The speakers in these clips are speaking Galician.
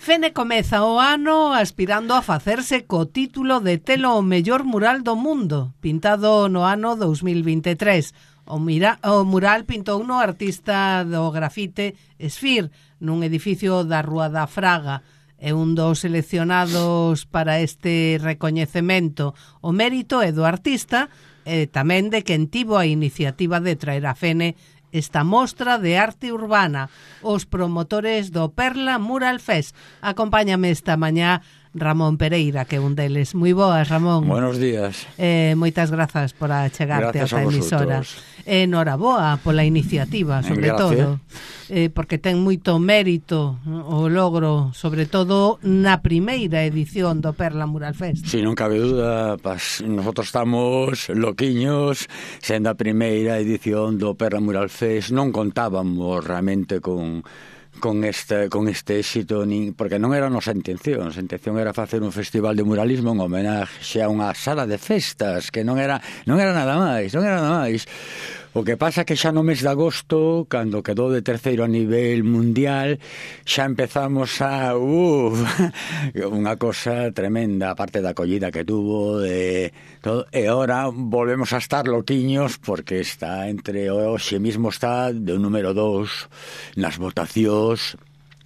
Fene comeza o ano aspirando a facerse co título de telo o mellor mural do mundo, pintado no ano 2023. O mural pintou no artista do grafite Esfir, nun edificio da Rúa da Fraga. É un dos seleccionados para este recoñecemento. O mérito é do artista e tamén de quen tivo a iniciativa de traer a Fene esta mostra de arte urbana, os promotores do Perla Mural Fest. Acompáñame esta mañá Ramón Pereira, que é un deles. Moi boas, Ramón. Buenos días. Moitas grazas por achegarte a esta emisora. Noraboa pola iniciativa, sobre todo, porque ten moito mérito o logro, sobre todo na primeira edición do Perla Mural Fest. Si, non cabe duda, nosotros estamos loquiños, sendo a primeira edición do Perla Mural Fest. Non contábamos realmente con este éxito, porque non era a nosa intención. A intención era facer un festival de muralismo en homenaxe a unha sala de festas, que non era nada máis. O que pasa que xa no mes de agosto, cando quedou de terceiro a nivel mundial, xa empezamos a unha cosa tremenda, aparte da acollida que tuvo, todo, e ahora volvemos a estar loquiños porque está entre hoxe mismo está de un número 2 nas votacións.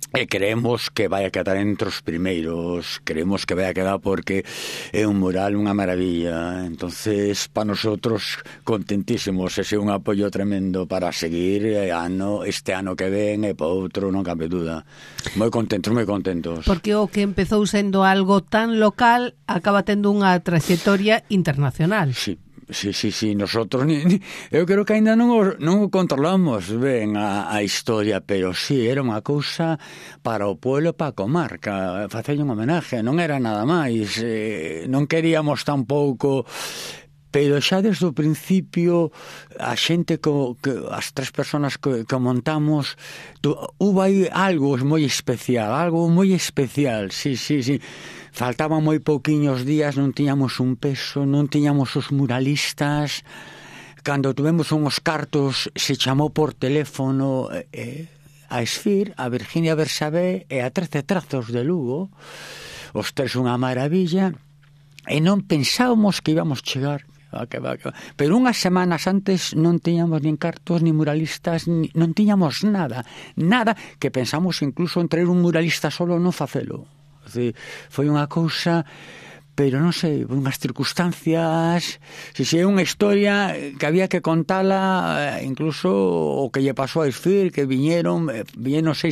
E creemos que vai a quedar entre os primeiros, creemos que vai a quedar porque é un mural, unha maravilla. Entonces, para nosotros, contentísimos, ese é un apoio tremendo para seguir este ano que ven e para outro, non cabe duda. Moi contentos. Porque o que empezou sendo algo tan local acaba tendo unha trayectoria internacional. Sí, nosotros eu creo que ainda non o controlamos ben a historia, pero sí, era unha cousa para o pueblo, para a comarca, facer un homenaje, non era nada máis, non queríamos tampouco, pero xa desde o principio a xente as tres personas que montamos hubo aí algo moi especial, sí. Faltaban moi pouquiños días, non tiñamos un peso, non tiñamos os muralistas. Cando tuvemos unhos cartos, se chamou por teléfono a Esfir, a Virginia Bersabé e a 13 Trazos de Lugo, os tres unha maravilla, e non pensábamos que íbamos chegar. Pero unhas semanas antes non tiñamos nin cartos, nin muralistas, non tiñamos nada, que pensamos incluso en traer un muralista solo non facelo. Foi unha cousa, pero non sei, unhas circunstancias, se é unha historia que había que contala, incluso o que lle pasou a Esfir, que viñeron 6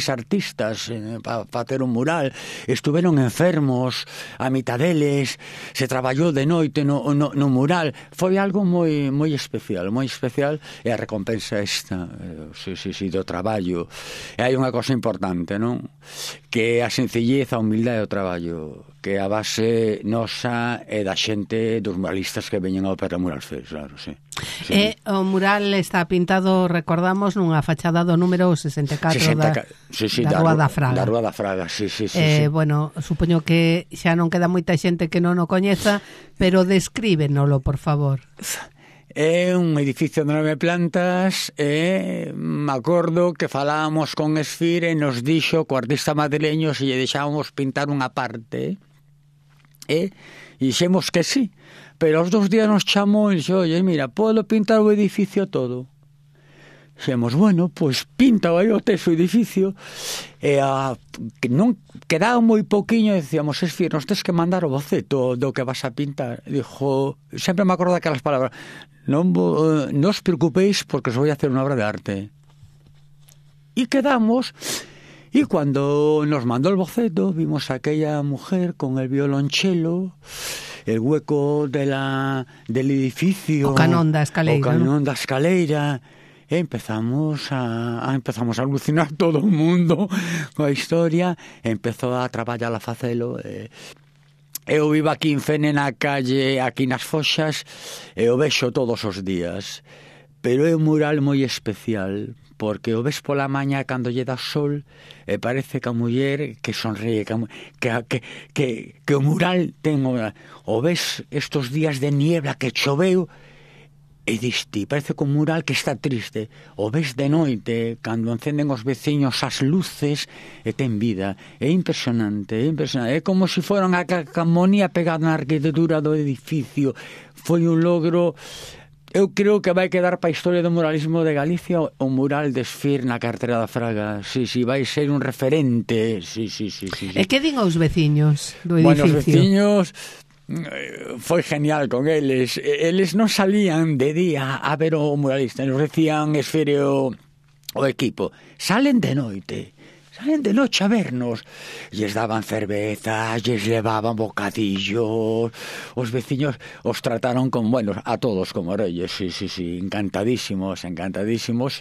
artistas para facer un mural, estuveron enfermos, a mitad deles, se traballou de noite no mural, foi algo moi especial, e a recompensa esta, do traballo. E hai unha cosa importante, non? Que a sencillez, a humildade do traballo, que a base nosa é da xente dos muralistas que veñen ao Perla Mural Fest, claro, sí. O mural está pintado, recordamos, nunha fachada do número 64 da Rúa da Fraga. Da Rúa da Fraga, sí. Bueno, supoño que xa non queda moita xente que non o coñeza, pero descríbenolo, por favor. É un edificio de 9 plantas e me acordo que falábamos con Esfir e nos dixo co artista madrileño se lle deixábamos pintar unha parte e dixemos que sí, pero aos 2 días nos chamou e dixo, oye, mira, podo pintar o edificio todo? Dixemos, bueno, pois pinta aí o teso edificio e que non quedaba moi pouquiño e decíamos, Esfir, nos tes que mandar o boceto do que vas a pintar. Dijo, sempre me acordo daquelas palabras, non os preocupéis porque os vou a hacer unha obra de arte. E quedamos, e cando nos mandou el boceto vimos a aquella mujer con el violonchelo, el hueco del edificio, o canón da escaleira, e empezamos a alucinar todo o mundo coa historia, e empezou a traballar a facelo. Eu vivo aquí en Fene, na calle, aquí nas Foxas, e o vexo todos os días. Pero é un mural moi especial, porque o ves pola mañá cando lle dá sol, e parece que a muller que sonríe, que o mural ten... O ves estos días de niebla que choveu, E diste, parece que un mural que está triste. O ves de noite, cando encenden os veciños as luces, e ten vida. É impresionante, é impresionante. É como se fora unha calcamonía pegada na arquitectura do edificio. Foi un logro... Eu creo que vai quedar para a historia do muralismo de Galicia o mural de Esfir na cartera da Fraga. Sí, vai ser un referente. Sí. E que din os veciños do edificio? Bueno, os veciños... foi genial con eles. Eles non salían de día a ver o muralista. Nos decían Esfir o equipo. Salen de noite a vernos. Lles daban cervezas, lles levaban bocadillos. Os veciños os trataron con, bueno, a todos como reyes. Sí, encantadísimos. E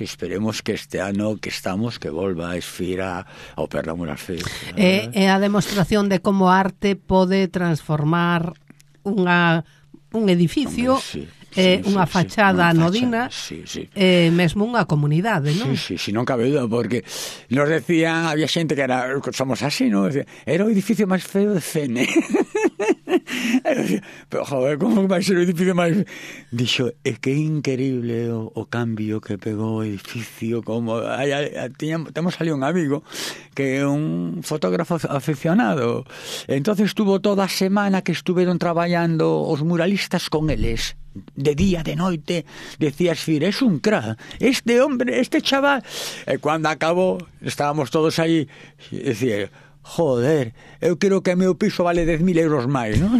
esperemos que este ano que estamos, que volva a Esfir ao Perla Mural Fest. É a demostración de como a arte pode transformar un edificio, unha fachada anodina, mesmo unha comunidade, non? Sí, non cabe duda, porque nos decían, había xente que era, somos así, non? Era o edificio máis feo de Cene. Pero, joder, como vai ser o edificio máis... Dixo, é que é increíble o cambio que pegou o edificio, como... Temos ali un amigo que é un fotógrafo aficionado. Entonces estuvo toda a semana que estuveron traballando os muralistas con eles. De día, de noite, decía Esfir, es un crack, este hombre, este chaval. E cando acabou, estábamos todos aí, e decía, joder, eu creo que o meu piso vale 10.000 euros máis, non?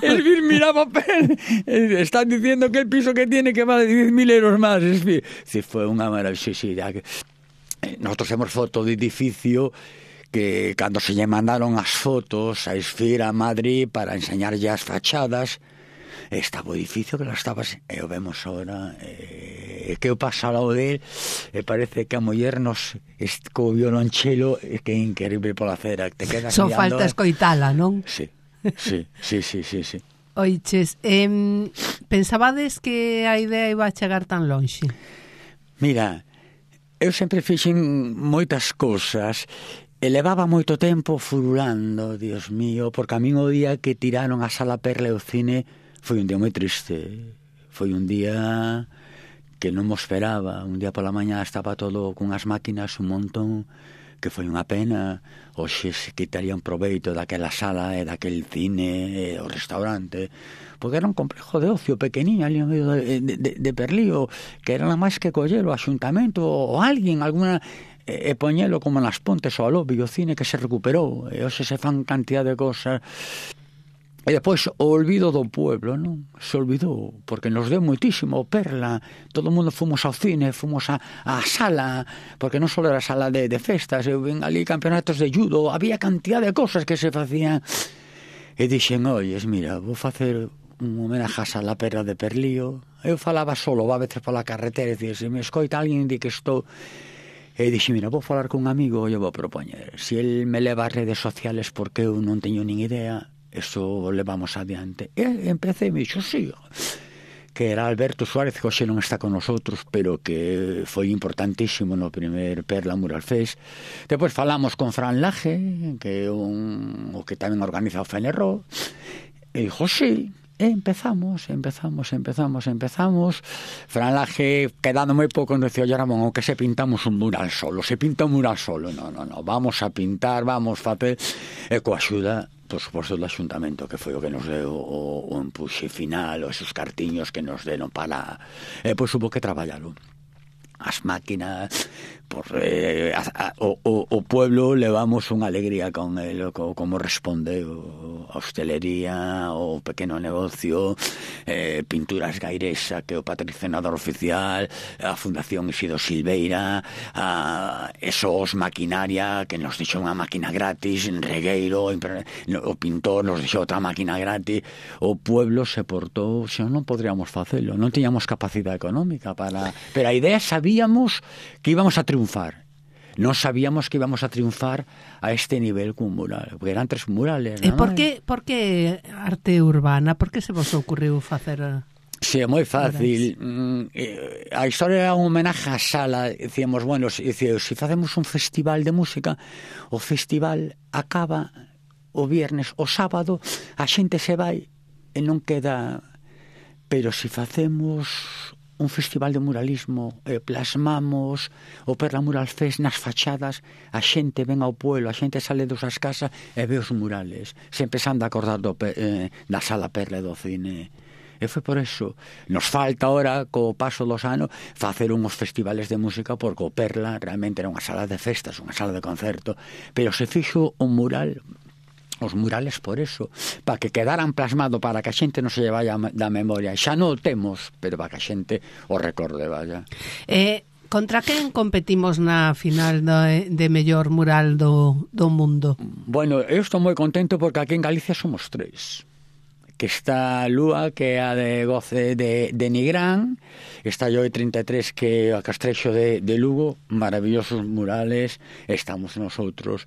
Esfir miraba, están diciendo que el piso que tiene que vale 10.000 euros máis, Esfir. Sí, foi unha maravillosidade. Nosotros temos foto de edificio que cando se lle mandaron as fotos a Esfir a Madrid para enseñarlle as fachadas, estaba o edificio que las estabas, e o vemos ahora, que eu paso ao lado del, e parece que a muller nos co violonchelo, que é increíble pola acera, te quedas só falta escoitala, non? Sí. Oiches, pensabades que a idea iba a chegar tan lonxe? Mira, eu sempre fixen moitas cousas e levaba moito tempo furulando, Dios mío, porque a min o día que tiraron a Sala Perla e o cine foi un día moi triste. Foi un día que non mo esperaba. Un día pola mañá estaba todo cunhas máquinas, un montón, que foi unha pena. Hoxe se quitarían proveito daquela sala e daquel cine e o restaurante, porque era un complejo de ocio pequeniño ali no medio de Perlío, que era nada máis que collelo o axuntamento ou alguén, alguna... e poñelo como nas Pontes ou ao lobby, o cine que se recuperou, e hoxe se fan cantidad de cosas. E depois o olvido do pueblo, non? Se olvidou, porque nos deu moitísimo o Perla, todo o mundo fomos ao cine, fomos á sala, porque non só era sala de festas, eu ven ali campeonatos de judo, había cantidad de cosas que se facían, e dixen, oyes, mira, vou facer un homenaje a Sala Perla de Perlío. Eu falaba solo, a veces pola carretera, e dicir, se me escoita alguén di que estou... E dixi, mira, vou falar con un amigo e eu vou propoñer. Se el me leva ás redes sociales porque eu non teño nin idea, eso levamos adiante. E empecé e me dixo, sí, que era Alberto Suárez, que hoxe non está con nosotros, pero que foi importantísimo no primer Perla Mural Fest. Depois falamos con Fran Laje, que é o que tamén organiza o Fenerro, e dixo, sí. E empezamos. Fran Laje, quedando moi pouco, nos decía, oye, Ramón, o que se pintamos un mural solo, se pinta un mural solo. No, vamos a pintar, vamos a facer, e coa axuda, por suposto, do Axuntamento, que foi o que nos deu o empuxe final, os esos cartiños que nos deron para... E pois hubo que traballalo. As máquinas, o pueblo levamos unha alegría con el, como responde a hostelería, o pequeno negocio, Pinturas Gairesa, que é o patrocinador oficial, a Fundación Isidro Silveira, a Esos Maquinaria, que nos deixou unha máquina gratis, en Regueiro, o pintor nos deixou outra máquina gratis. O pueblo se portou, se non podríamos facelo, non tiñamos capacidade económica para... Pero a idea sabíamos que íbamos a triunfar. Non sabíamos que íbamos a triunfar a este nivel cun mural, porque eran 3 murales. E por que arte urbana? Por que se vos ocurriu facer... Sí, é moi fácil. A historia era un homenaje á sala. Dicíamos, bueno, se facemos un festival de música, o festival acaba o viernes, o sábado a xente se vai e non queda pero se facemos un festival de muralismo, plasmamos o Perla Mural Fest nas fachadas, a xente ven ao pueblo, a xente sale das súas casas e ve os murales, sempre se anda a acordar da Sala Perla do cine. E foi por eso. Nos falta ahora, co paso dos anos, facer unhos festivales de música, porque o Perla realmente era unha sala de festas, unha sala de concerto, pero se fixo un mural, os murales por eso, para que quedaran plasmado, para que a xente non se lle vaya da memoria. Xa non o temos, pero para que a xente o recorde, vaya. Contra quen competimos na final de mellor mural do mundo? Bueno, eu estou moi contento porque aquí en Galicia somos 3. Que está Lúa, que é a de Goce de Nigrán, está Lloi 33, que é a Castrexo de Lugo, maravillosos murales, estamos nosotros.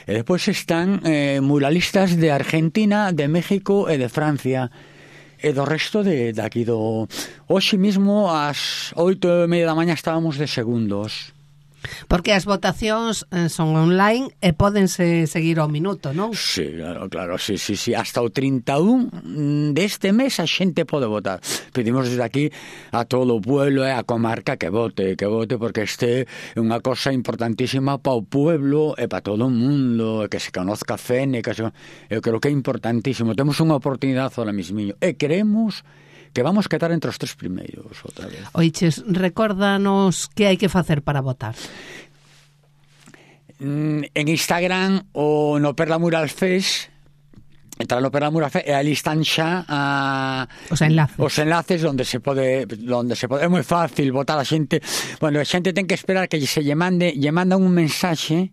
E depois están muralistas de Argentina, de México e de Francia, e do resto de aquí do... Hoxe mismo, ás 8:30 da mañá, estábamos de segundos. Porque as votacións son online e pódense seguir ao minuto, non? Sí, claro, sí. Hasta o 31 deste mes a xente pode votar. Pedimos desde aquí a todo o pueblo e a comarca que vote, porque este é unha cosa importantísima para o pueblo e para todo o mundo, que se conozca Fene, eu creo que é importantísimo. Temos unha oportunidade ahora mismiño e queremos que vamos quedar entre os 3 primeiros outra vez. Oiches, recórdanos que hai que facer para votar. En Instagram ou no Perla Mural Fest, entrar no Perla Mural Fest e ali están xa os enlaces onde se pode é moi fácil votar. A xente, bueno, a xente ten que esperar que lle mandan un mensaxe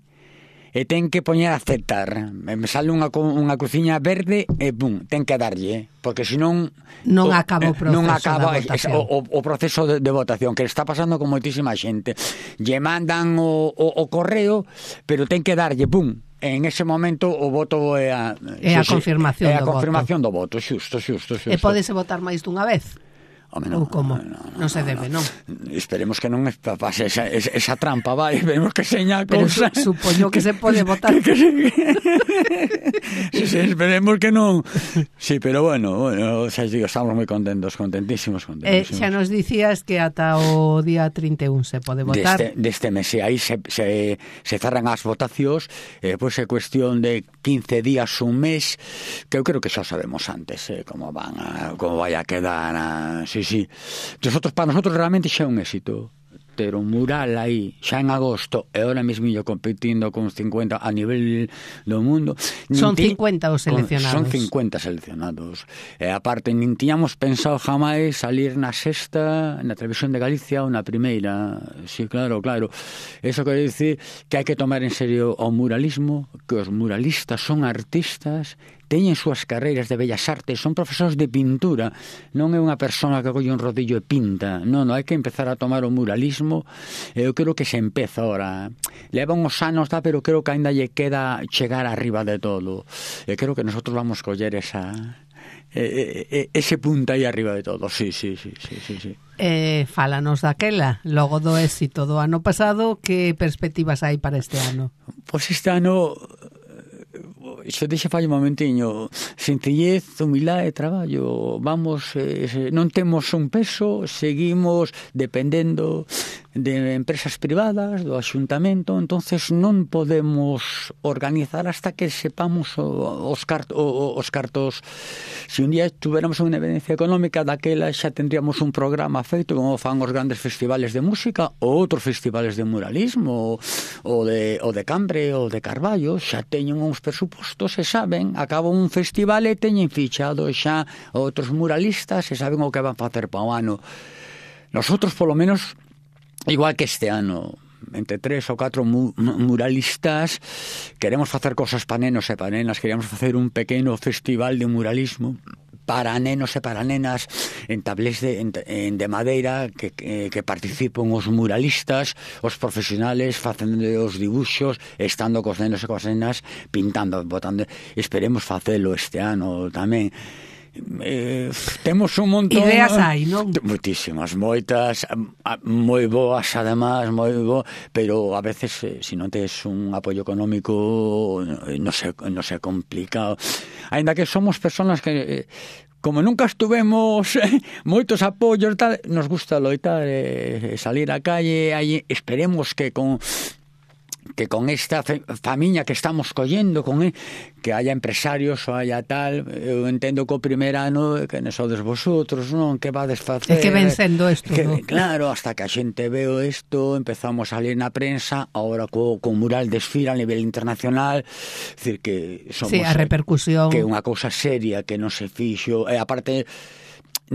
e ten que poñer a aceptar. Me sale unha cruciña verde e pum, ten que darlle, porque senón non acaba o proceso o proceso de votación, que está pasando con moitísima xente. Lle mandan o correo, pero ten que darlle, pum, en ese momento o voto é a confirmación do voto, xusto. E pódese votar máis dunha vez? Non, ou como? Non se debe, non? Esperemos que non pase esa trampa, vai, esperemos que seña a cousa. Pero supoño que se pode votar. Sí, esperemos que non. Sí, pero bueno, xa digo, estamos moi contentísimos. Xa nos dicías que ata o día 31 se pode votar. Deste mes, aí se cerran as votacións, pois é cuestión de 15 días, un mes, que eu creo que xa sabemos antes, como vai a quedar. Sí. Para nosotros realmente xa é un éxito ter un mural aí xa en agosto e ahora mesmo competindo con 50 a nivel do mundo. Son 50 os seleccionados. Son 50 seleccionados. E aparte, nin tiñamos pensado jamais salir na sexta, na televisión de Galicia ou na primeira. Sí, claro. Eso quere dicir que hai que tomar en serio o muralismo, que os muralistas son artistas, teñen súas carreiras de bellas artes, son profesores de pintura, non é unha persona que colle un rodillo e pinta, non, hai que empezar a tomar o muralismo. Eu creo que se empeza ahora, leva uns anos, pero creo que ainda lle queda chegar arriba de todo, e creo que nosotros vamos coller ese punto aí arriba de todo. Sí. Fálanos daquela, logo do éxito do ano pasado, que perspectivas hai para este ano? Pois este ano, iso deixa fai un momentiño, sencillez, humildade e traballo. Vamos, non temos un peso, seguimos dependendo de empresas privadas, do axuntamento, entonces non podemos organizar hasta que sepamos os cartos. Se un día tuviéramos unha evidencia económica, daquela xa tendríamos un programa feito como fan os grandes festivales de música ou outros festivales de muralismo ou de Cambre ou de Carballo, xa teñen uns presupostos e saben, acaba un festival e teñen fichado xa outros muralistas e saben o que van facer para o ano. Nosotros, polo menos, igual que este ano, entre 3 ou 4 muralistas, queremos facer cosas para nenos e para nenas. Queríamos facer un pequeno festival de muralismo para nenos e para nenas en tablés de madeira, que participen os muralistas, os profesionales, facendo os dibuxos, estando cos nenos e cos nenas, pintando, botando. Esperemos facelo este ano tamén. Temos un montón, ideas hai, non? Moitísimas, moitas, moi boas, además, pero a veces se non tes un apoio económico non se complica. Ainda que somos personas que como nunca estuvemos moitos apoios tal, nos gusta loitar salir á calle, aí esperemos que con esta famiña que estamos collendo, que haya empresarios ou haya tal. Eu entendo que o primer ano que non sodes vosotros, non? Que vades facer? É que ven sendo isto, non? Claro, hasta que a xente veo isto, empezamos a salir na prensa, agora co mural desfila a nivel internacional, decir que somos... Sí, a repercusión... Que é unha cousa seria, que non se fixo, e aparte,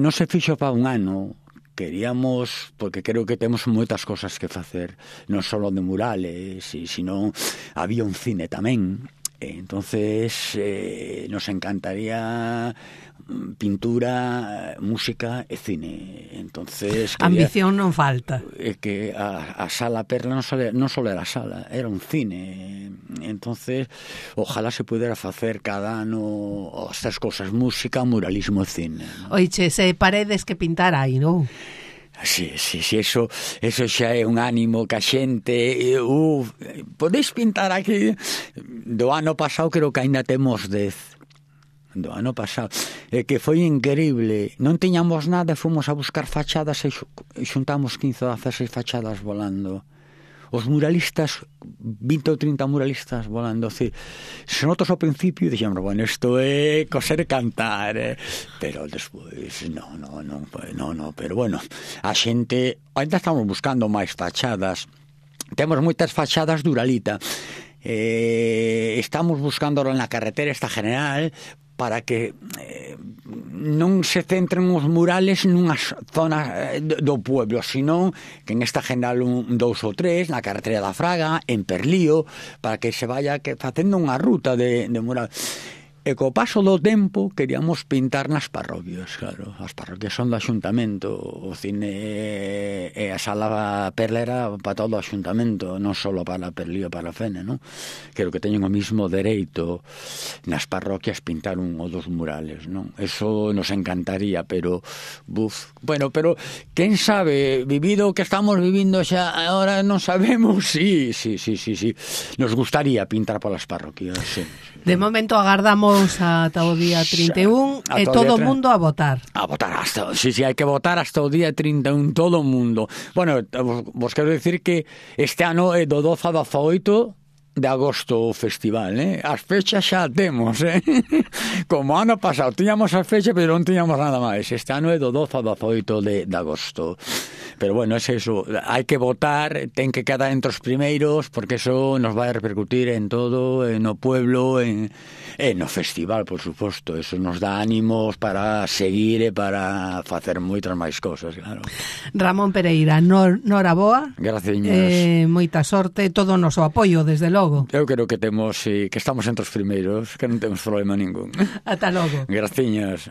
non se fixo para un ano. Queríamos, porque creo que temos moitas cosas que facer, non só de murales, sino había un cine tamén. Entonces nos encantaría pintura, música e cine. Entonces ambición non falta. Que a Sala Perla non só era a sala, era un cine. Entonces ojalá se pudera facer cada ano estas cosas, música, muralismo e cine. Oiche, se paredes que pintar aí, non? Sí, eso xa é un ánimo que a xente podeis pintar aquí. Do ano pasado creo que ainda temos 10. Do ano pasado, que foi increíble. Non tiñamos nada, fomos a buscar fachadas e xuntamos 15 ou 16 fachadas volando. Os muralistas, 20 ou 30 muralistas volando, se notos ao principio dixemos, bueno, isto é coser e cantar, pero despois non, pero bueno, a xente ainda estamos buscando máis fachadas, temos moitas fachadas de Uralita, estamos buscando ahora na carretera esta general para que non se centren os murales nunha zona do pueblo, sino que en esta general 2 ou 3, na carretera da Fraga, en Perlío, para que se vaya facendo unha ruta de mural. E co paso do tempo queríamos pintar nas parroquias, claro. As parroquias son do Axuntamento, o cine e a Sala Perla era para todo o Axuntamento, non só para Perlío, para Fene, non? Creo que teñen o mismo dereito nas parroquias pintar un ou dos murales, non? Eso nos encantaría, pero bueno, pero quen sabe, vivido o que estamos vivindo xa agora non sabemos, sí. Nos gustaría pintar polas parroquias, sí. De momento agardamos ata o día 31 e todo o mundo a votar. A votar hasta, sí, hai que votar hasta o día 31, todo o mundo. Bueno, vos quero dicir que este ano é do 12 a 18 de agosto o festival, As fechas xa temos, Como ano pasado, tiñamos as fechas, pero non tiñamos nada máis. Este ano é do 12 a 18 de agosto. Pero bueno, es eso, hai que votar, ten que quedar entre os primeiros, porque eso nos vai a repercutir en todo, no pueblo, no festival, por suposto. Eso nos dá ánimos para seguir e para facer moitas máis cosas, claro. Ramón Pereira, noraboa. Gracias. Moita sorte, todo o noso apoio, desde logo. Eu creo que temos, que estamos entre os primeiros, que non temos problema ningún. Ata logo. Graciñas.